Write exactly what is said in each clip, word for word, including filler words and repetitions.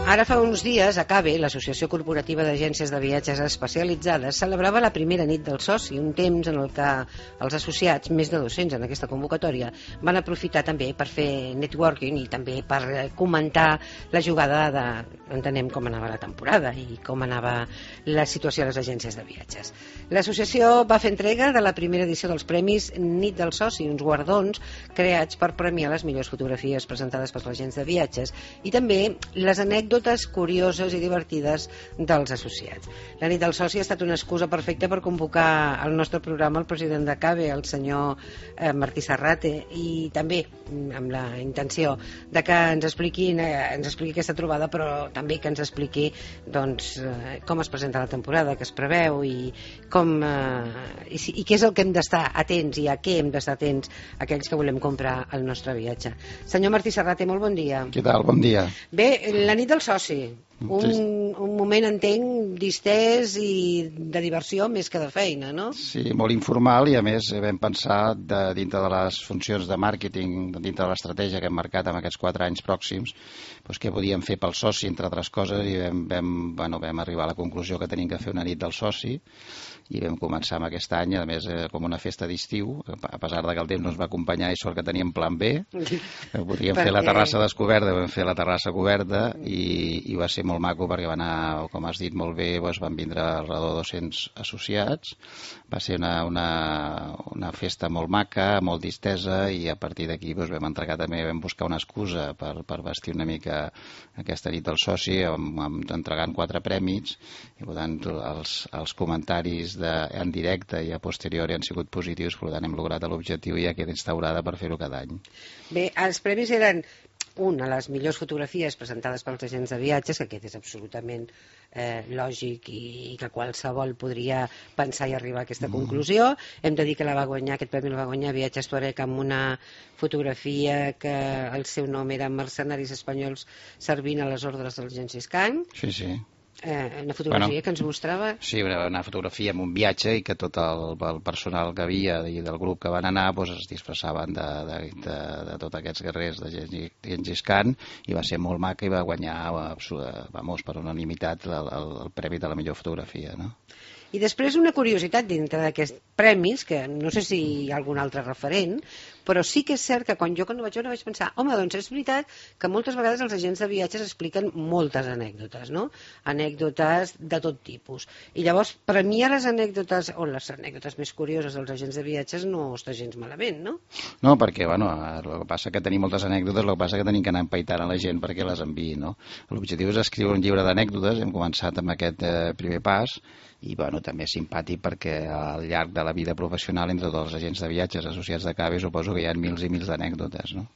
Ara fa uns dies, ACABE, l'Associació Corporativa d'Agències de Viatges Especialitzades, celebrava la primera nit del soci, un temps en el que els associats, més de dos-cents en aquesta convocatòria, van aprofitar també per fer networking i també per comentar la jugada de, entenem, com anava la temporada i com anava la situació a les agències de viatges. L'associació va fer entrega de la primera edició dels premis Nit del Soci, uns guardons creats per premiar les millors fotografies presentades pels agents de viatges i també les anècdotes curioses i divertides dels associats. La nit del soci ha estat una excusa perfecta per convocar al nostre programa el president d'ACABE, el senyor eh, Martí Serrate, i també amb la intenció de que ens expliqui, eh, ens expliqui aquesta trobada, però també que ens expliqui doncs, eh, com es presenta la temporada, que es preveu i, com, eh, i, i què és el que hem d'estar atents i a què hem d'estar atents aquells que volem comprar el nostre viatge. Senyor Martí Serrate, molt bon dia. Què tal? Bon dia. Bé, la nit del soci, un, un moment, entenc, distès i de diversió més que de feina, no? Sí, molt informal i a més vam pensar de, dintre de les funcions de màrqueting, dintre de l'estratègia que hem marcat en aquests quatre anys pròxims, doncs què podíem fer pel soci, entre altres coses, i vam, vam, bueno, vam arribar a la conclusió que tenim que fer una nit del soci i vam començar amb aquest any, a més, eh, com una festa d'estiu, a pesar de que el temps no ens va acompanyar i sort que teníem plan B, podíem fer la terrassa descoberta, vam fer la terrassa coberta i, i va ser molt maco perquè va anar, com has dit molt bé, doncs van vindre alrededor de dos-cents associats, va ser una, una, una festa molt maca, molt distesa i a partir d'aquí doncs, vam entregar també, vam buscar una excusa per, per vestir una mica aquesta nit del soci, amb, amb, entregant quatre prèmits i per tant els, els comentaris de, en directe i a posteriori han sigut positius, per tant hem lograt l'objectiu i ja queda instaurada per fer-ho cada any. Bé, els premis eren una, les millors fotografies presentades pels agents de viatges, que aquest és absolutament eh, lògic i, i que qualsevol podria pensar i arribar a aquesta mm. conclusió. Hem de dir que la va guanyar, aquest premi el va guanyar Viatges Tuareg amb una fotografia que el seu nom era Mercenaris espanyols servint a les ordres del Gengis Khan. Sí, sí. Eh, una fotografia bueno, que ens mostrava... Sí, una fotografia amb un viatge i que tot el, el personal que havia i del grup que van anar doncs, es disfressaven de, de, de, de tots aquests guerrers de Gengis Khan i va ser molt maca i va guanyar vamos, per unanimitat el, el, el premi de la millor fotografia, no? I després una curiositat dintre d'aquests premis, que no sé si hi ha algun altre referent, però sí que és cert que quan jo quan ho vaig veure vaig pensar, home, doncs és veritat que moltes vegades els agents de viatges expliquen moltes anècdotes, no? Anècdotes de tot tipus. I llavors, premiar les anècdotes, o les anècdotes més curioses dels agents de viatges no està gens malament, no? No, perquè, bueno, el que passa que tenim moltes anècdotes, el que passa que tenim que anar empaitant a la gent perquè les enviï, no? L'objectiu és escriure un llibre d'anècdotes, hem començat amb aquest eh, primer pas, i bueno, també és simpàtic perquè al llarg de la vida professional entre tots els agents de viatges associats d'ACABE suposo que hi ha mils i mils d'anècdotes, no?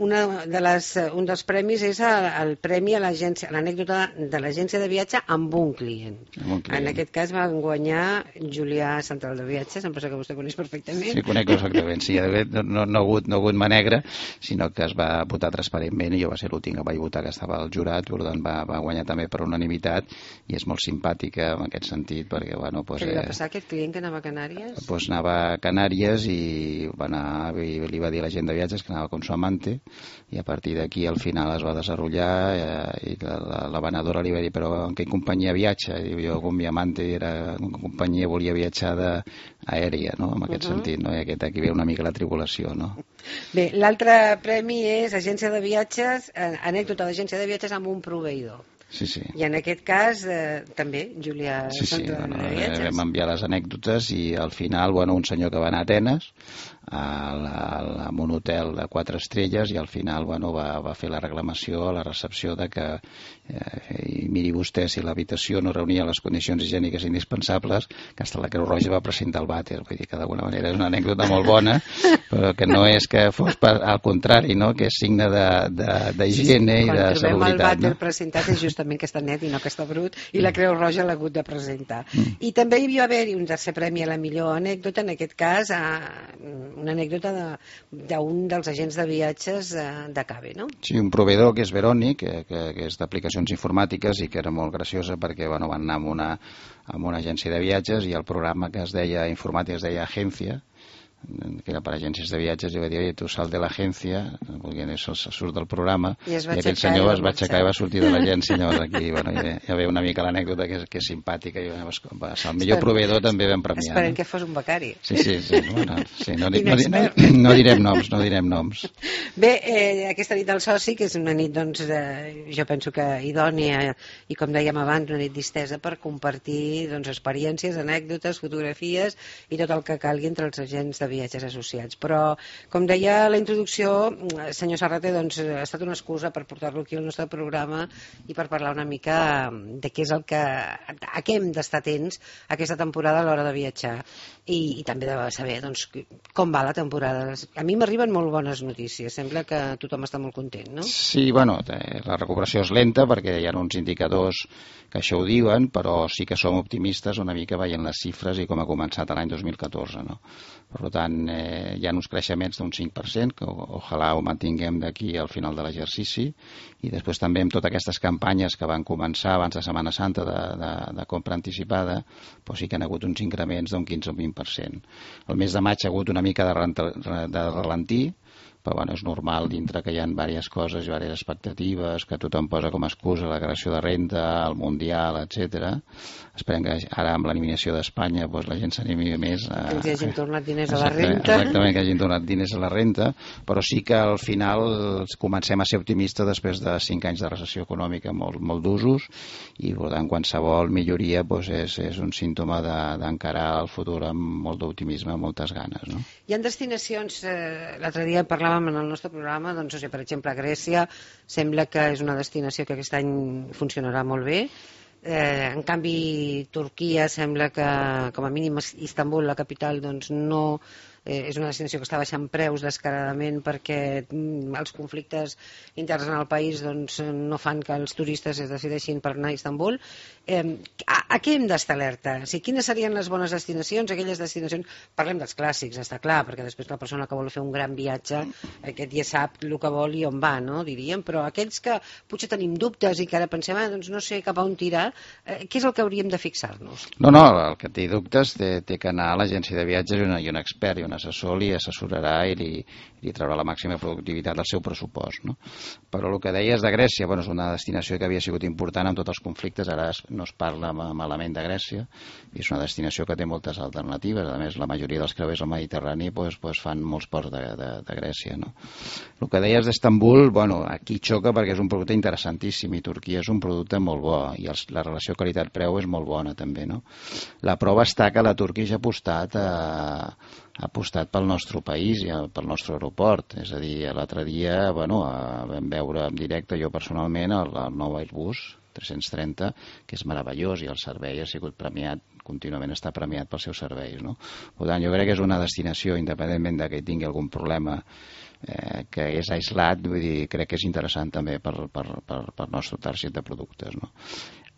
Una de les, un dels premis és el, el premi a l'agència, l'anècdota de l'agència de viatge amb un client. Amb un client. En aquest cas van guanyar Julià Central de Viatges, em penso que vostè coneix perfectament. Sí, conec perfectament, sí, no, no, no, ha hagut, no ha hagut mà negra, sinó que es va votar transparentment i jo va ser l'últim que vaig votar, que estava al jurat, per tant va, va guanyar també per unanimitat i és molt simpàtica en aquest sentit perquè, bueno, pues, què li va passar a aquest client que anava a Canàries? Pues anava a Canàries i va anar, li va dir a la gent de viatges que anava con su amante i a partir d'aquí al final es va desenvolupar eh, i la, la, la venedora li va dir però en què companyia viatja? I jo com mi amante era en companyia volia viatjar aèria, no? En aquest uh -huh. sentit, no? I aquest, aquí ve una mica la tribulació, no? Bé, l'altre premi és agència de viatges, eh, anècdota d'agència de viatges amb un proveïdor. Sí, sí. I en aquest cas eh, també Julià sí, sí, Central bueno, de Viatges. Vam enviar les anècdotes i al final, bueno, un senyor que va anar a Atenes a, la, a un hotel de quatre estrelles i al final, bueno, va, va fer la reclamació a la recepció de que eh, i miri vostè si l'habitació no reunia les condicions higièniques indispensables, que hasta la Creu Roja va presentar el vàter, vull dir que d'alguna manera és una anècdota molt bona, però que no és que fos per, al contrari, no? Que és signe d'higiene i de salubritat. Quan trobem el vàter no? presentat és justament que està net i no que està brut, i la Creu Roja l'ha hagut de presentar. Mm. I també hi va haver un tercer premi a la millor anècdota, en aquest cas a, una anècdota d'un de, dels agents de viatges d'ACABE, no? Sí, un proveïdor que és Verònic, que, que, que és d'aplicacions informàtiques i que era molt graciosa perquè bueno, van anar amb una, amb una agència de viatges i el programa que es deia informàtic es deia Agència, que era per agències de viatges, i va dir, oye, tu sal de l'agència, perquè això surt del programa, i, i aquell senyor es va aixecar i va sortir de l'agència. Llavors aquí, bueno, ja, ja ve una mica l'anècdota que, és, que és simpàtica, i va, el millor proveïdor també vam premiar. Esperem no? que fos un becari. Sí, sí, sí, bueno, sí no, no, no, no direm noms, no direm noms. Bé, eh, aquesta nit del soci, que és una nit, doncs, eh, jo penso que idònia, i com dèiem abans, una nit distesa per compartir, doncs, experiències, anècdotes, fotografies i tot el que calgui entre els agents de viatges associats. Però, com deia a la introducció, senyor Serrater, doncs, ha estat una excusa per portar-lo aquí al nostre programa i per parlar una mica de què és el que, a què hem d'estar atents aquesta temporada a l'hora de viatjar, i, i també de saber, doncs, com va la temporada. A mi m'arriben molt bones notícies, sembla que tothom està molt content, no? Sí, bueno, la recuperació és lenta perquè hi ha uns indicadors que això ho diuen, però sí que som optimistes una mica veient les xifres i com ha començat l'any dos mil catorze, no? Per tant, eh, hi ha uns creixements d'un cinc per cent, que ojalà ho mantinguem d'aquí al final de l'exercici, i després també amb totes aquestes campanyes que van començar abans de Setmana Santa de, de, de compra anticipada, doncs sí que han hagut uns increments d'un quinze o vint per cent. El mes de maig ha hagut una mica de, de ralentí, però bueno, és normal dintre que hi ha diverses coses i diverses expectatives, que tothom posa com a excusa la creació de renda, el Mundial, etcètera. Esperem que ara amb l'eliminació d'Espanya doncs la gent s'animi més a... Que ens hagin tornat diners a la renta. Exactament, que hagin tornat diners a la renta, però sí que al final comencem a ser optimistes després de cinc anys de recessió econòmica molt, molt d'usos, i per tant qualsevol milloria doncs, és, és un símptoma d'encarar el futur amb molt d'optimisme, amb moltes ganes. No? Hi ha destinacions, eh, l'altre dia parlàvem en el nostre programa, doncs, o sigui, per exemple, Grècia sembla que és una destinació que aquest any funcionarà molt bé. Eh, en canvi, Turquia sembla que, com a mínim, Istanbul, la capital, doncs no... Eh, és una destinació que està baixant preus descaradament perquè mm, els conflictes interns en el país doncs, no fan que els turistes es decideixin per anar a Istanbul. Eh, a, a què hem d'estar alerta? O sigui, quines serien les bones destinacions? Aquelles destinacions, parlem dels clàssics, està clar, perquè després la persona que vol fer un gran viatge aquest ja sap el que vol i on va, no? Diríem, però aquells que potser tenim dubtes i que ara pensem, ah, doncs no sé cap a on tirar, eh, què és el que hauríem de fixar-nos? No, no, el que té dubtes té, té que anar a l'agència de viatges i, una, i un expert i un assessor li assessorarà i li, li traurà la màxima productivitat del seu pressupost. No? Però el que deies de Grècia, bueno, és una destinació que havia sigut important amb tots els conflictes, ara no es parla malament de Grècia, i és una destinació que té moltes alternatives. A més, la majoria dels creuers al Mediterrani pues, pues fan molts ports de, de, de Grècia. No? El que deies d'Istanbul, bueno, aquí xoca perquè és un producte interessantíssim i Turquia és un producte molt bo i els, la relació qualitat-preu és molt bona també. No? La prova està que la Turquia ja ha apostat a ha apostat pel nostre país i pel nostre aeroport. És a dir, l'altre dia bueno, vam veure en directe, jo personalment, el, el nou Airbus tres-cents trenta, que és meravellós i el servei ha sigut premiat, contínuament està premiat pels seus serveis. No? Per tant, jo crec que és una destinació, independentment de que tingui algun problema eh, que és aislat, vull dir, crec que és interessant també per, per, per, per nostre target de productes. No?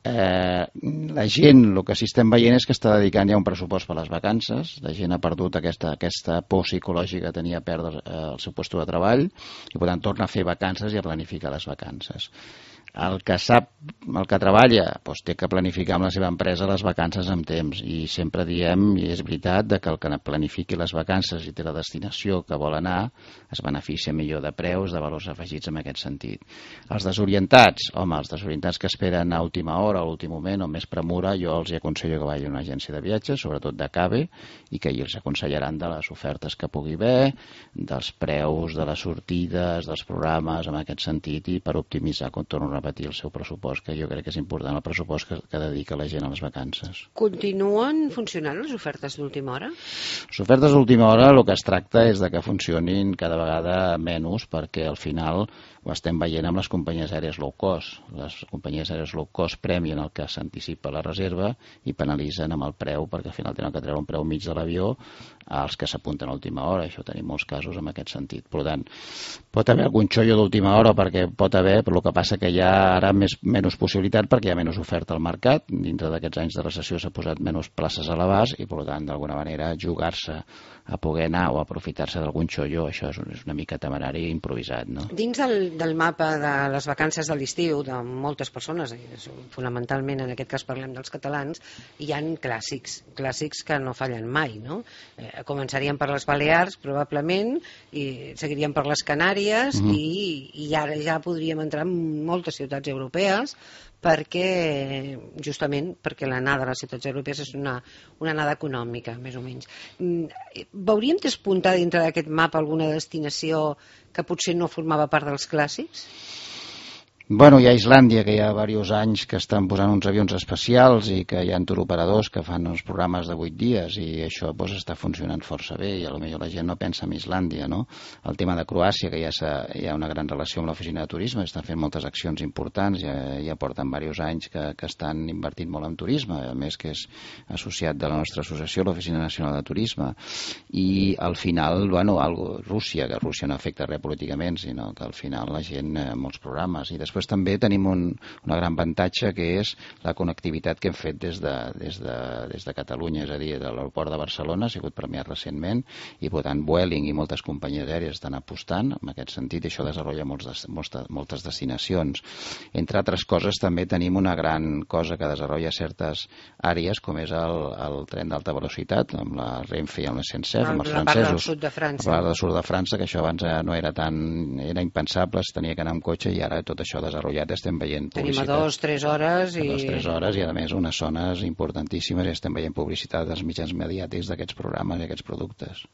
Eh, la gent, el que sí estem veient és que està dedicant ja un pressupost per les vacances, la gent ha perdut aquesta, aquesta por psicològica que tenia a perdre eh, el seu lloc de treball i per tant torna a fer vacances i a planificar les vacances. El que sap, el que treballa, doncs té que planificar amb la seva empresa les vacances amb temps i sempre diem, i és veritat, que el que planifiqui les vacances i té la destinació que vol anar es beneficia millor de preus, de valors afegits en aquest sentit. Els desorientats, home, els desorientats que esperen a última hora, a l'últim moment o més premura, jo els aconsello que vagin a una agència de viatges, sobretot de C A B E, i que ells aconsellaran de les ofertes que pugui haver, dels preus, de les sortides, dels programes, en aquest sentit, i per optimitzar, com torno a repetir, el seu pressupost, que jo crec que és important, el pressupost que, que dedica la gent a les vacances. Continuen funcionant les ofertes d'última hora? Les ofertes d'última hora el que es tracta és de que funcionin cada vegada menys, perquè al final ho estem veient amb les companyies aèries low cost. Les companyies aèries low cost premien el que s'anticipa la reserva i penalitzen amb el preu, perquè al final tenen que treure un preu mig de l'avió als que s'apunten a última hora. Això tenim molts casos en aquest sentit. Per tant, pot haver algun xollo d'última hora perquè pot haver, però el que passa que hi ha ara més, menys possibilitat perquè hi ha menys oferta al mercat. Dintre d'aquests anys de recessió s'ha posat menys places a l'abast i, per tant, d'alguna manera, jugar-se a poder anar o aprofitar-se d'algun xollo, això és una mica temerari i improvisat. No? Dins del, del mapa de les vacances de l'estiu de moltes persones, fonamentalment en aquest cas parlem dels catalans, hi ha clàssics, clàssics que no fallen mai, no? Eh, començaríem per les Balears, probablement, i seguiríem per les Canàries, mm-hmm. i, i ara ja podríem entrar en moltes ciutats europees, perquè, justament, perquè l'anada a les ciutats europees és una, una anada econòmica, més o menys. Veuríem despuntar dintre d'aquest mapa alguna destinació que potser no formava part dels clàssics? Bueno, hi ha Islàndia, que hi ha diversos anys que estan posant uns avions especials i que hi ha turoperadors que fan uns programes de vuit dies i això doncs, està funcionant força bé i potser la gent no pensa en Islàndia, no? El tema de Croàcia, que ja hi ha una gran relació amb l'oficina de turisme, estan fent moltes accions importants, ja, ja porten diversos anys que, que estan invertint molt en turisme, a més que és associat de la nostra associació, l'Oficina Nacional de Turisme, i al final, bueno, algo, Rússia, que Rússia no afecta res políticament, sinó que al final la gent, eh, molts programes, i després Després també tenim un, una gran avantatge que és la connectivitat que hem fet des de, des de, des de Catalunya, és a dir, de l'aeroport de Barcelona, ha sigut premiat recentment, i per tant Vueling i moltes companyies aèries estan apostant en aquest sentit, i això desenvolupa molts, moltes, moltes destinacions. Entre altres coses també tenim una gran cosa que desenvolupa certes àrees, com és el, el tren d'alta velocitat, amb la Renfe i amb la S N C F, amb els francesos. La part del sud de França. La part del sud de França, que això abans no era tan, era impensable, es tenia que anar amb cotxe, i ara tot això desenvolupat, estem veient publicitat. Tenim a dos, tres hores i... A dos, tres hores i a més unes zones importantíssimes i estem veient publicitat dels mitjans mediàtics d'aquests programes i aquests productes.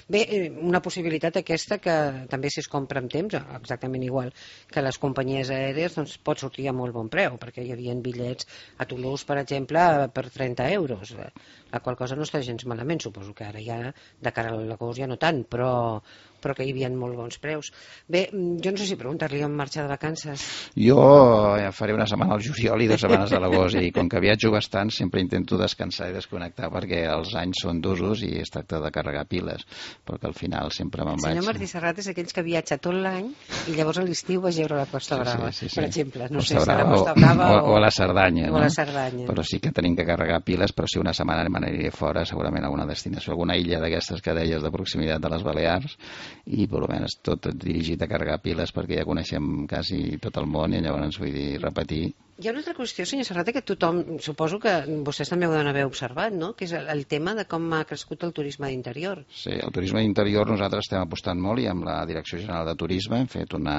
Bé, una possibilitat aquesta que també si es compra amb temps, exactament igual que les companyies aèries, doncs pot sortir a molt bon preu, perquè hi havia bitllets a Toulouse, per exemple, per trenta euros, la qual cosa no està gens malament, suposo que ara ja de cara a l'agost ja no tant, però però que hi havia molt bons preus. Bé, jo no sé si preguntar-li on marxar de vacances. Jo faré una setmana al juliol i dues setmanes a l'agost, i com que viatjo bastant sempre intento descansar i desconnectar perquè els anys són d'usos i es tracta de carregar piles, perquè al final sempre me'n vaig. El senyor Martí Serrat és aquells que viatja tot l'any i llavors a l'estiu va a veure la Costa Brava, sí, sí, sí, sí. per exemple. No Costa sé si Brava, a la Costa Brava o, o, o a la Cerdanya. O no? a la Cerdanya. Però sí que tenim que carregar piles, però si una setmana me n'aniré fora, segurament a alguna destinació, alguna illa d'aquestes que deies de proximitat de les Balears, i per almenys tot dirigit a carregar piles perquè ja coneixem quasi tot el món i llavors vull dir repetir. Hi ha una altra qüestió, senyor Serrat, que tothom, suposo que vostès també ho deuen haver observat, no? Que és el, el tema de com ha crescut el turisme d'interior. Sí, el turisme d'interior nosaltres estem apostant molt i amb la Direcció General de Turisme hem fet una,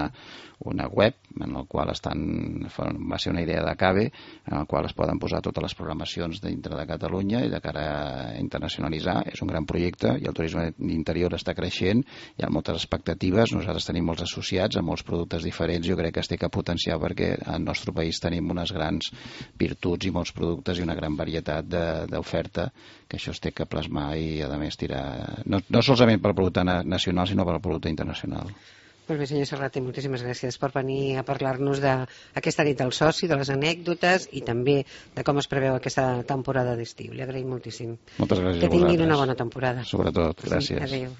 una web en la qual estan, va ser una idea de CABE, en la qual es poden posar totes les programacions dintre de Catalunya i de cara a internacionalitzar. És un gran projecte i el turisme d'interior està creixent, hi ha moltes expectatives, nosaltres tenim molts associats amb molts productes diferents, jo crec que es té que potenciar perquè al nostre país tenim unes grans virtuts i molts productes i una gran varietat d'oferta que això es té que plasmar i a més tirar, no, no solament pel producte nacional sinó pel producte internacional. Molt bé, senyor Serrat, moltíssimes gràcies per venir a parlar-nos d'aquesta nit del soci, de les anècdotes i també de com es preveu aquesta temporada d'estiu. Li agraïm moltíssim. Moltes gràcies que a vosaltres. tinguin una bona temporada. Sobretot, gràcies. Sí, adéu.